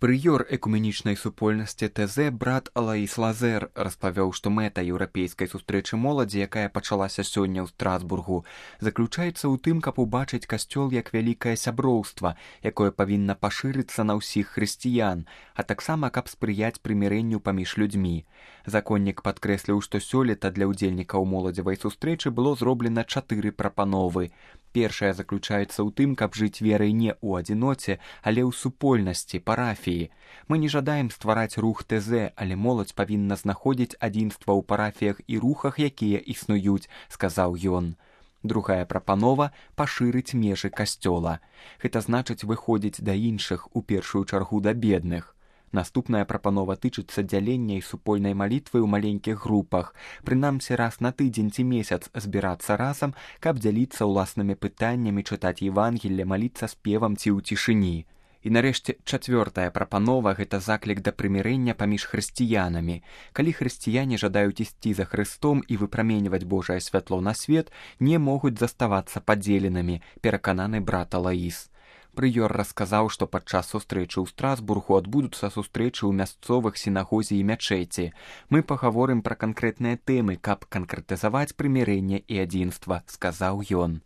Прыёр экуменічнай супольнасці ТЗ брат Алаіс Лазер распавёў, што мэта еўрапейскай сустрэчы моладзі, якая пачалася сёння ў Страсбургу, заключаецца ў тым, каб убачыць касцёл як вялікае сяброўства, якое павінна пашырыцца на ўсіх хрысціян, а таксама каб спрыяць прымірэнню паміж людзьмі. Законнік падкрэсліў, што сёлета для ўдзельнікаў моладзевай сустрэчы было зроблена 4 прапановы. Першая заключаецца ў тым, каб жыць верай не ў адзіноце, але ў супольнасці, парафіі. Мы не жадаем ствараць рух ТЗ, але моладзь павінна знаходзіць адзінства ў парафіях і рухах, якія існуюць, сказаў ён. Другая прапанова – пашырыць межы касцёла. Гэта значыць выходзіць да іншых, у першую чаргу да бедных. Наступная прапанова тычыцца дзялення і супольнай малітвы ў маленькіх групах, прынамсі раз на тыдзень ці месяц збірацца разам, каб дзяліцца ўласнымі пытаннямі, чытаць Евангелле, маліцца спевам ці ў цішыні. І нарэшце чацвёртая прапанова – гэта заклік да прымірэння паміж хрысціянамі. Калі хрысціяне жадаюць ісці за Хрыстом і выпраменьваць Божае святло на свет, не могуць заставацца падзеленымі, перакананы брат Алаіс. Прыёр расказаў, што падчас сустрэчы ў Страсбургу адбудуцца сустрэчы ў мясцовых сінагозе і мячэці. Мы пагаворым пра канкрэтныя тэмы, каб канкрэтызаваць прымірэнне і адзінства, сказаў ён.